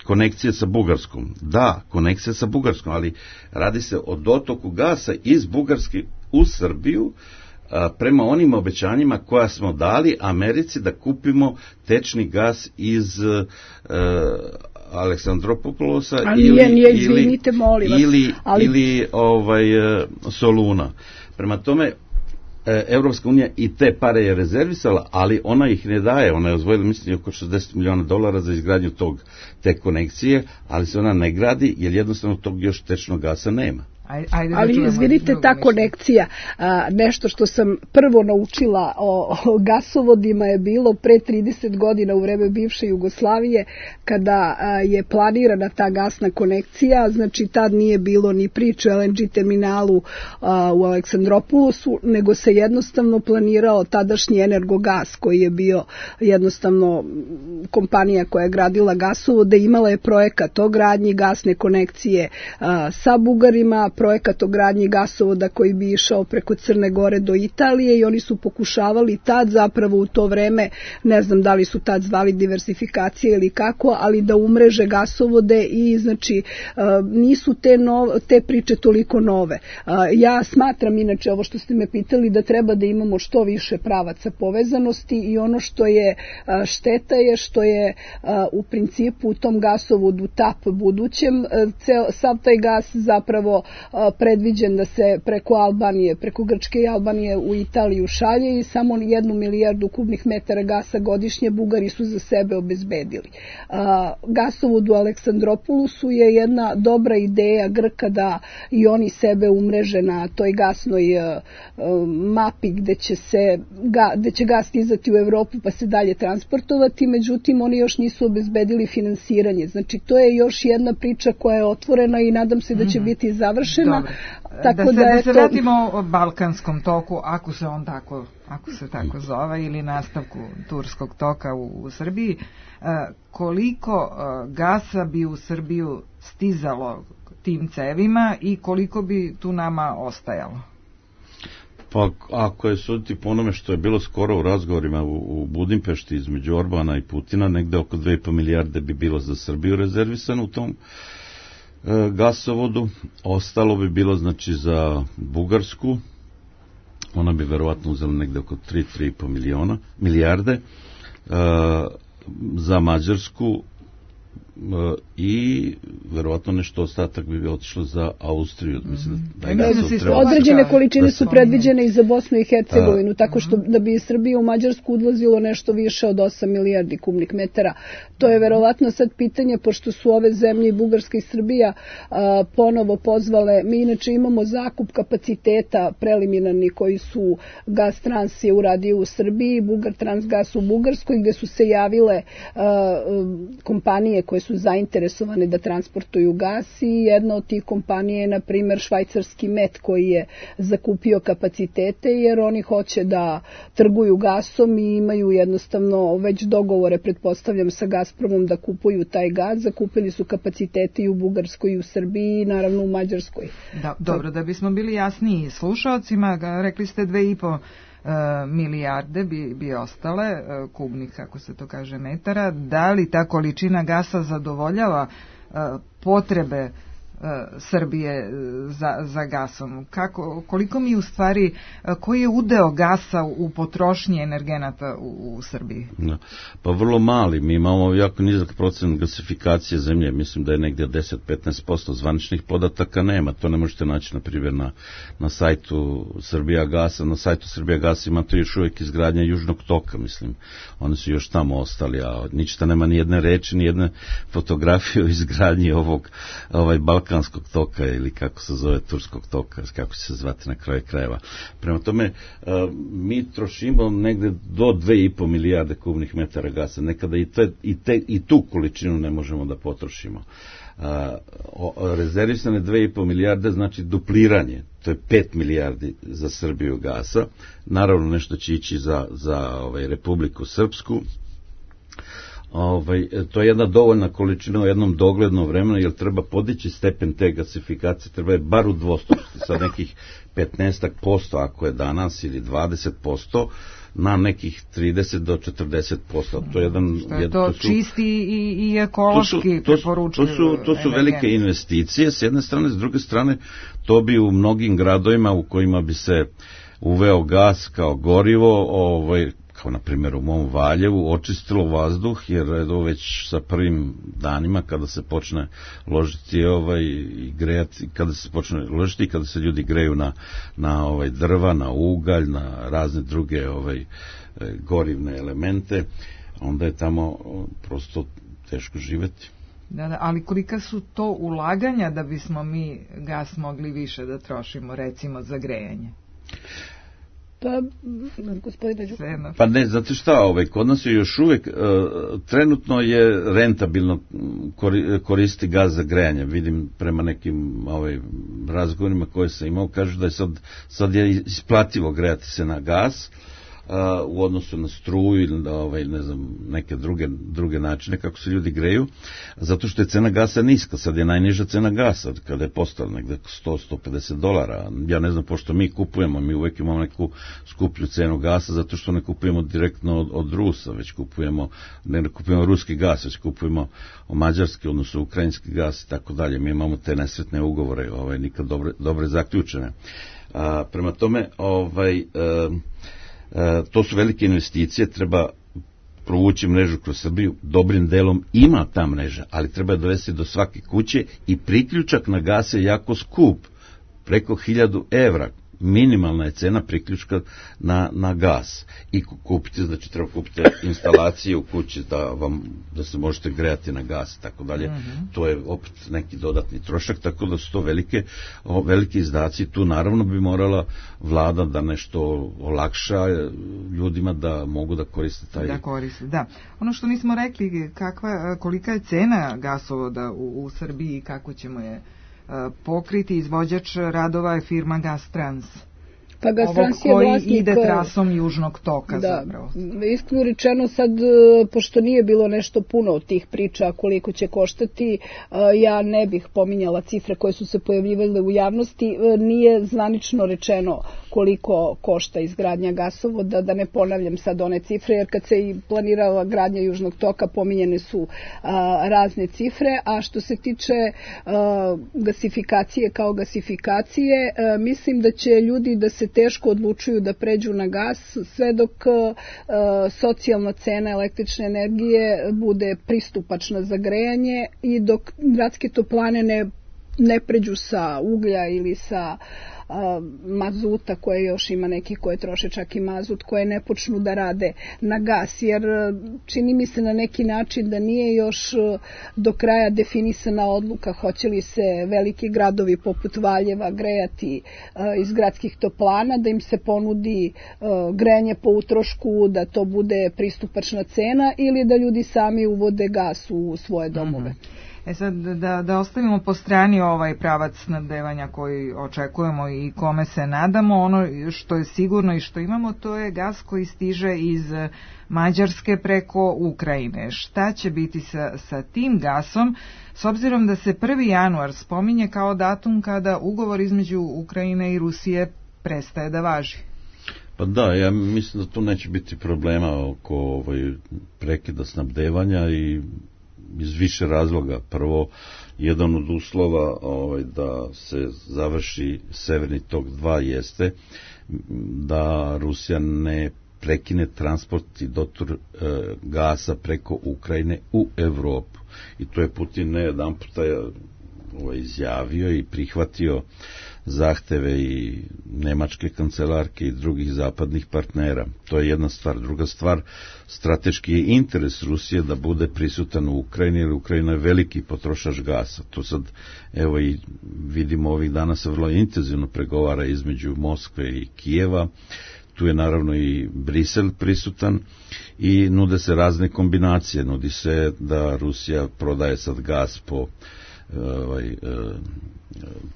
konekcije sa Bugarskom. Da, konekcija sa Bugarskom, ali radi se o dotoku gasa iz Bugarske u Srbiju prema onim obećanjima koja smo dali Americi da kupimo tečni gas iz Aleksandropoulosa ili Soluna. Prema tome, Evropska unija i te pare je rezervisala, ali ona ih ne daje. Ona je odvojila, mislim, oko $60 miliona za izgradnju te konekcije, ali se ona ne gradi jer jednostavno tog još tečnog gasa nema. Ali izvinite, ta konekcija, nešto što sam prvo naučila o gasovodima je bilo pre 30 godina u vreme bivše Jugoslavije, kada je planirana ta gasna konekcija. Znači tad nije bilo ni priče o LNG terminalu u Aleksandropoulosu, nego se jednostavno planirao tadašnji Energogas, koji je bio jednostavno kompanija koja je gradila gasovode, imala je projekat o gradnji gasne konekcije sa Bugarima, projekat o gradnji gasovoda koji bi išao preko Crne Gore do Italije i oni su pokušavali tad zapravo u to vreme, ne znam da li su tad zvali diversifikacije ili kako, ali da umreže gasovode i znači nisu te priče toliko nove. Ja smatram inače ovo što ste me pitali da treba da imamo što više pravaca povezanosti i ono što je šteta je što je u principu u tom gasovodu TAP budućem sav taj gas zapravo predviđen da se preko Albanije, preko Grčke i Albanije u Italiju šalje i samo 1 milijardu kubnih metara gasa godišnje Bugari su za sebe obezbedili. Gasovod u Aleksandropolusu je jedna dobra ideja Grka da i oni sebe umreže na toj gasnoj mapi gde će gas stizati u Evropu pa se dalje transportovati, međutim oni još nisu obezbedili finansiranje. Znači to je još jedna priča koja je otvorena i nadam se da će biti završena. Tako da se vratimo Balkanskom toku, ako se tako zove, ili nastavku Turskog toka u Srbiji. Koliko gasa bi u Srbiju stizalo tim cevima i koliko bi tu nama ostajalo? Pa ako je suditi po onome što je bilo skoro u razgovorima u Budimpešti između Orbana i Putina, negde oko 2,5 milijarde bi bilo za Srbiju rezervisano u tom gasovodu, ostalo bi bilo znači za Bugarsku, ona bi verovatno uzela negde oko 3,5 milijarde, za Mađarsku i verovatno nešto ostatak bi otišlo za Austriju. Određene količine su predviđene i za Bosnu i Hercegovinu, tako što da bi iz Srbije u Mađarsku odlazilo nešto više od 8 milijardi kubnih metara. To je verovatno sad pitanje, pošto su ove zemlje i Bugarska i Srbija ponovo pozvale. Mi inače imamo zakup kapaciteta preliminarni koji su Gastrans je uradio u Srbiji, Bugartransgas u Bugarskoj, gde su se javile kompanije koje su zainteresovane da transportuju gas i jedna od tih kompanija je na primjer švajcarski MET koji je zakupio kapacitete jer oni hoće da trguju gasom i imaju jednostavno već dogovore, pretpostavljam, sa Gazpromom da kupuju taj gas. Zakupili su kapacitete i u Bugarskoj i u Srbiji i naravno u Mađarskoj. Dobro, da bismo bili jasniji slušalcima, rekli ste 2,5 milijarde bi ostale kubnih, kako se to kaže, metara. Da li ta količina gasa zadovoljava potrebe Srbije za gasom? Koliko mi u stvari, koji je udeo gasa u potrošnji energenata u Srbiji? Pa vrlo mali. Mi imamo jako nizak procent gasifikacije zemlje. Mislim da je negdje 10-15%. Zvaničnih podataka nema. To ne možete naći, na primjer, na sajtu Srbija gasa. Na sajtu Srbija gasa ima to još uvijek izgradnja Južnog toka, mislim. Oni su još tamo ostali, a ništa nema ni jedne reči, ni jedne fotografije o izgradnji Balkanskog toka ili kako se zove Turskog toka, kako će se zvati na kraju krajeva. Prema tome, mi trošimo negde do 2,5 milijarde kubnih metara gasa. Nekada i tu količinu ne možemo da potrošimo. Rezervisane 2,5 milijarde znači dupliranje. To je 5 milijardi za Srbiju gasa. Naravno nešto će ići za Republiku Srpsku. To je jedna dovoljna količina u jednom doglednom vremenu, jer treba podići stepen te gasifikacije, treba je bar udvostručiti sa nekih 15% ako je danas ili 20% na nekih 30 do 40%. To je to čisti i ekološki preporučljivo. To su velike investicije s jedne strane, s druge strane to bi u mnogim gradovima u kojima bi se uveo gas kao gorivo, kao na primjer u mom Valjevu, očistilo vazduh, jer već sa prvim danima kada se počne ložiti i grejati, kada se počne ložiti, kada se ljudi greju na drva, na ugalj, na razne druge gorivne elemente, onda je tamo prosto teško živeti. Da, ali kolika su to ulaganja da bismo mi gas mogli više da trošimo, recimo za grejanje? Pa ne, znate šta, kod nas je još uvijek trenutno je rentabilno koristi gas za grejanje. Vidim prema nekim razgovorima koje sam imao, kažu da je sad je isplativo grejati se na gas. u odnosu na struju ili ne znam, neke druge načine kako se ljudi greju, zato što je cena gasa niska. Sad je najniža cena gasa, kada je postala negde $100-150. Ja ne znam, pošto mi kupujemo, mi uvek imamo neku skuplju cenu gasa, zato što ne kupujemo direktno od Rusa, već ne kupujemo ruski gas, već kupujemo mađarski, odnosno ukrajinski gas i tako dalje. Mi imamo te nesretne ugovore, nikad dobre zaključene. Prema tome, to su velike investicije, treba provući mrežu kroz Srbiju, dobrim delom ima ta mreža, ali treba dovesti do svake kuće i priključak na gas je jako skup, preko 1000 evra. Minimalna je cena priključka na gas i kupiti, znači treba kupiti instalacije u kući da se možete grejati na gas i tako dalje. To je opet neki dodatni trošak, tako da su to veliki izdaci. Tu naravno bi morala vlada da nešto olakša ljudima da mogu da koriste taj... Da koriste, da. Ono što nismo rekli, kolika je cena gasovoda u Srbiji i kako ćemo je pokriti. Izvođač radova je firma Gastrans. Pa Gastrans je vlasnik... Koji ide trasom južnog toka zapravo. Iskreno rečeno sad, pošto nije bilo nešto puno od tih priča koliko će koštati, ja ne bih pominjala cifre koje su se pojavljivale u javnosti. Nije zvanično rečeno koliko košta izgradnja gasovoda, da ne ponavljam sad one cifre, jer kad se i planirala gradnja južnog toka pominjene su razne cifre, a što se tiče gasifikacije kao gasifikacije, mislim da će ljudi da se teško odlučuju da pređu na gas sve dok socijalna cena električne energije bude pristupačna za grejanje i dok gradske toplane ne pređu sa uglja ili sa mazuta, koje još ima neki koje troše čak i mazut, koje ne počnu da rade na gas, jer čini mi se na neki način da nije još do kraja definisana odluka hoće li se veliki gradovi poput Valjeva grejati iz gradskih toplana, da im se ponudi grejanje po utrošku, da to bude pristupačna cena ili da ljudi sami uvode gas u svoje domove. Sad da ostavimo po strani ovaj pravac snabdevanja koji očekujemo i kome se nadamo, ono što je sigurno i što imamo, to je gas koji stiže iz Mađarske preko Ukrajine. Šta će biti sa tim gasom, s obzirom da se 1. januar spominje kao datum kada ugovor između Ukrajine i Rusije prestaje da važi? Pa da, ja mislim da tu neće biti problema oko prekida snabdevanja i iz više razloga. Prvo, jedan od uslova da se završi Severni tok 2 jeste da Rusija ne prekine transport i dotur gasa preko Ukrajine u Evropu. I to je Putin ne jedan puta izjavio i prihvatio zahteve i nemačke kancelarke i drugih zapadnih partnera. To je jedna stvar. Druga stvar, strateški je interes Rusije da bude prisutan u Ukrajini, jer Ukrajina je veliki potrošač gasa. To sad, evo i vidimo ovih dana se vrlo intenzivno pregovara između Moskve i Kijeva. Tu je naravno i Brisel prisutan i nude se razne kombinacije. Nudi se da Rusija prodaje sad gas po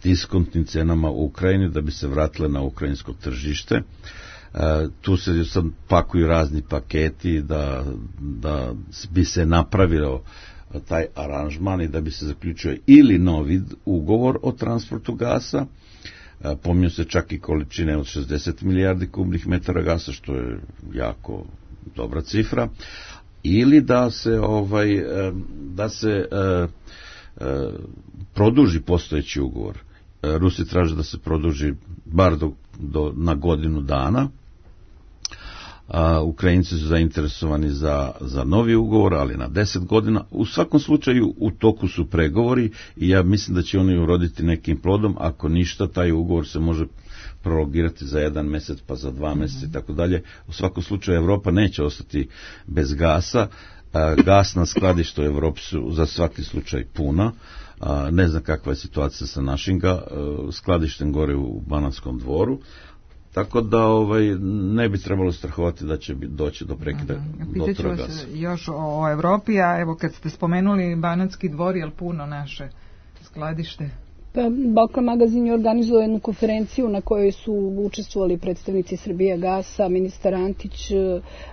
diskontnim cenama u Ukrajini da bi se vratile na ukrajinsko tržište. Tu se sad pakuju razni paketi da bi se napravilo taj aranžman i da bi se zaključio ili novi ugovor o transportu gasa, pominju se čak i količine od 60 milijardi kubnih metara gasa, što je jako dobra cifra, ili da se produži postojeći ugovor. Rusi traže da se produži bar na godinu dana. Ukrajinci su zainteresovani za novi ugovor, ali na 10 godina. U svakom slučaju u toku su pregovori i ja mislim da će oni uroditi nekim plodom. Ako ništa, taj ugovor se može prolongirati za 1 mesec, pa za 2 meseca i tako dalje. U svakom slučaju Evropa neće ostati bez gasa. Gasna skladišta u Evropi su za svaki slučaj puna. Ne znam kakva je situacija sa našim skladištem gore u Banatskom dvoru. Tako da ne bi trebalo strahovati da će doći do prekida dotora gasa. Pitaću vas još o Evropi, a evo kad ste spomenuli Banatski dvor, je li puno naše skladište? Balkan magazin je organizovao jednu konferenciju na kojoj su učestvovali predstavnici Srbijagasa, ministar Antić,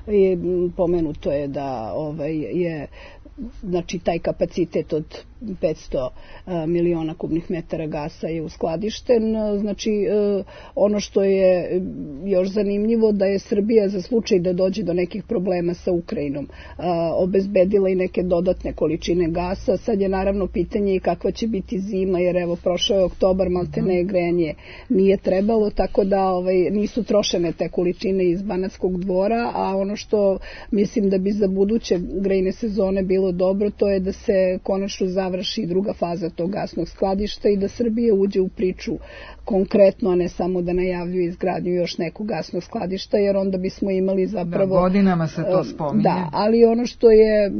i pomenuto je da je znači taj kapacitet od 500 miliona kubnih metara gasa je uskladišten. Znači, ono što je još zanimljivo da je Srbija za slučaj da dođe do nekih problema sa Ukrajinom obezbedila i neke dodatne količine gasa. Sad je naravno pitanje i kakva će biti zima, jer evo prošao je oktobar, maltene grejanje nije trebalo, tako da nisu trošene te količine iz Banatskog Dvora, a ono što mislim da bi za buduće grejne sezone bilo dobro, to je da se konačno završi druga faza tog gasnog skladišta i da Srbija uđe u priču konkretno, a ne samo da najavljuje izgradnju još nekog gasnog skladišta, jer onda bismo imali zapravo... Da, godinama se to spominje. Da, ali ono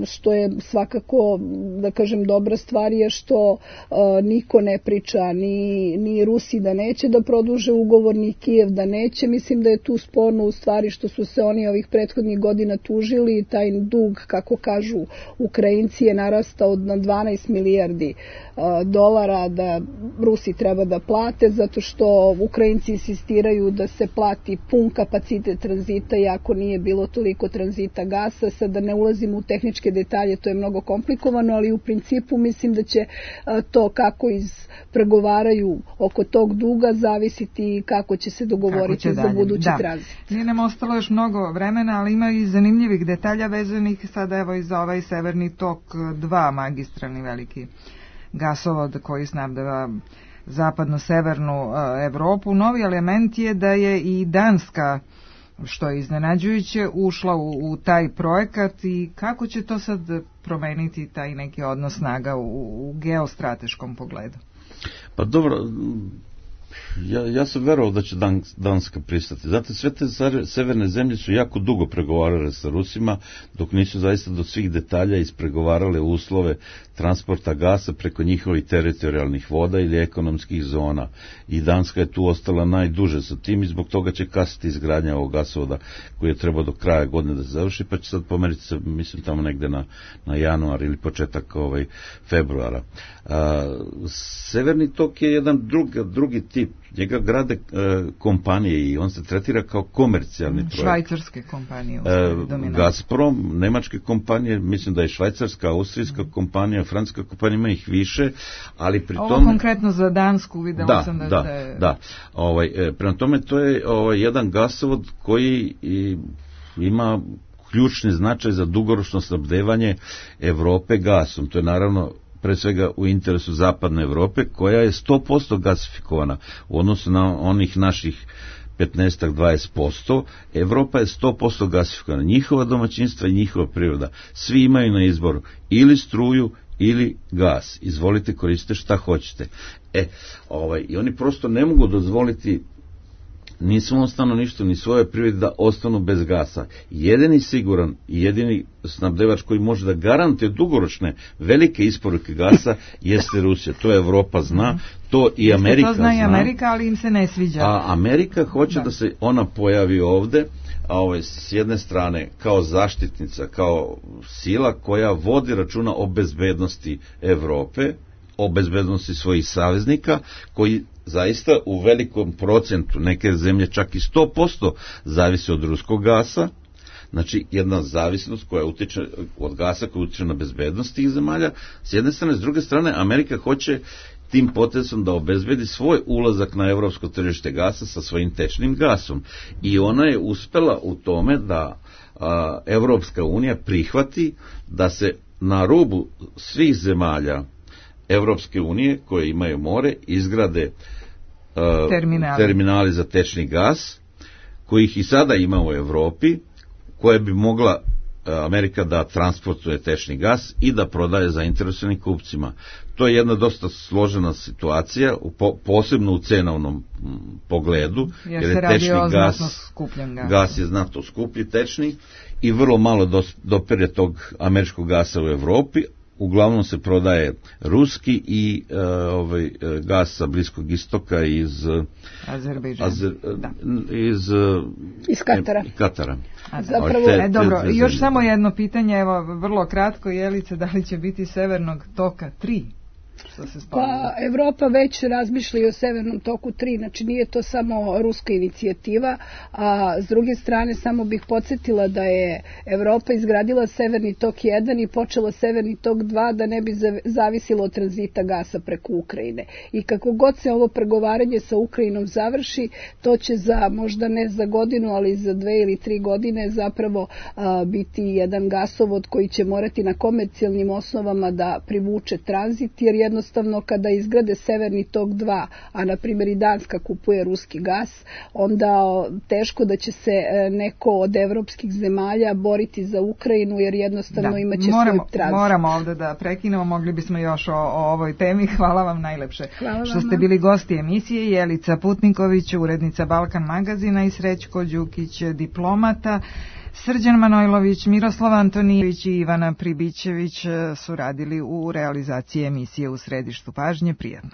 što je svakako, da kažem, dobra stvar je što niko ne priča, ni Rusi da neće da produže ugovor, ni Kijev da neće. Mislim da je tu sporno u stvari što su se oni ovih prethodnih godina tužili i taj dug, kako kažu Ukrajinci, je narastao na 12 milijardi dolara da Rusi treba da plate, zato što Ukrajinci insistiraju da se plati pun kapacitet tranzita, iako nije bilo toliko tranzita gasa. Sad da ne ulazimo u tehničke detalje, to je mnogo komplikovano, ali u principu mislim da će to kako pregovaraju oko tog duga zavisiti kako će se dogovoriti za budući tranzit. Nije nam ostalo još mnogo vremena, ali ima i zanimljivih detalja vezanih sada evo i za ovaj Severni tok 2, magistralni veliki gasovod koji snabdeva zapadno-severnu Evropu. Novi element je da je i Danska, što je iznenađujuće, ušla u taj projekat i kako će to sad promeniti taj neki odnos snaga u geostrateškom pogledu? Pa dobro, ja sam verovao da će Danska pristati. Zato sve te severne zemlje su jako dugo pregovarale sa Rusima, dok nisu zaista do svih detalja ispregovarale uslove transporta gasa preko njihovih teritorijalnih voda ili ekonomskih zona. I Danska je tu ostala najduže sa tim i zbog toga će kasniti izgradnja ovog gasovoda koji je trebao do kraja godine da se završi, pa će sad pomeriti se, mislim, tamo negde na januar ili početak februara. Severni tok je jedan drugi tip. Njega grade kompanije i on se tretira kao komercijalni projekt. Švajcarske kompanije. Gazprom, nemačke kompanije, mislim da je švajcarska, austrijska kompanija, francuska kompanija, ima ih više, ali pri tome... Ovo konkretno za Dansku videla sam da je... Da. Prema tome to je jedan gasovod koji ima ključni značaj za dugoročno snabdevanje Evrope gasom. To je naravno pre svega u interesu zapadne Evrope, koja je 100% gasifikovana u odnosu na onih naših 15-20%. Evropa je 100% gasifikovana. Njihova domaćinstva i njihova priroda. Svi imaju na izboru ili struju ili gas. Izvolite, koristite šta hoćete. I oni prosto ne mogu dozvoliti ni svom stanovništvu, ni svoje privrede da ostanu bez gasa. Jedini siguran i jedini snabdevač koji može da garantuje dugoročne velike isporuke gasa jeste Rusija. To Evropa zna, to i Amerika zna. To zna i Amerika, ali im se ne sviđa. A Amerika hoće da se ona pojavi ovde, s jedne strane kao zaštitnica, kao sila koja vodi računa o bezbednosti Evrope, o bezbednosti svojih saveznika, koji zaista u velikom procentu, neke zemlje čak i 100% zavise od ruskog gasa. Znači jedna zavisnost koja utiče od gasa, koja utiče na bezbednost tih zemalja s jedne strane. S druge strane, Amerika hoće tim potezom da obezbedi svoj ulazak na evropsko tržište gasa sa svojim tečnim gasom. I ona je uspela u tome da Evropska unija prihvati da se na rubu svih zemalja Evropske unije koje imaju more izgrade terminali za tečni gas, kojih i sada ima u Evropi, koje bi mogla Amerika da transportuje tečni gas i da prodaje zainteresovanim kupcima. To je jedna dosta složena situacija, posebno u cenovnom pogledu, jer je tečni gas je znatno skuplji tečni i vrlo malo dopere tog američkog gasa u Evropi. Uglavnom se prodaje ruski i gas sa Bliskog istoka iz Katara. Dobro, još samo jedno pitanje, evo vrlo kratko, Jelice, da li će biti Severnog toka 3? što se spominje? Pa Evropa već razmišlja o Severnom toku 3, znači nije to samo ruska inicijativa, a s druge strane samo bih podsjetila da je Evropa izgradila Severni tok 1 i počela Severni tok 2 da ne bi zavisilo od tranzita gasa preko Ukrajine. I kako god se ovo pregovaranje sa Ukrajinom završi, to će za možda ne za godinu, ali za 2 ili 3 godine zapravo biti jedan gasovod koji će morati na komercijalnim osnovama da privuče tranzit, jer jednostavno kada izgrade Severni tok 2, a na primjer i Danska kupuje ruski gas, onda teško da će se neko od evropskih zemalja boriti za Ukrajinu, jer jednostavno imaće svoj tranzit. Moramo ovde da prekinemo, mogli bismo još o ovoj temi. Hvala vam najlepše što ste bili gosti emisije. Jelica Putniković, urednica Balkan magazina, i Srećko Đukić, diplomata. Srđan Manojlović, Miroslav Antonijević i Ivana Pribićević su radili u realizaciji emisije U središtu pažnje. Prijatno.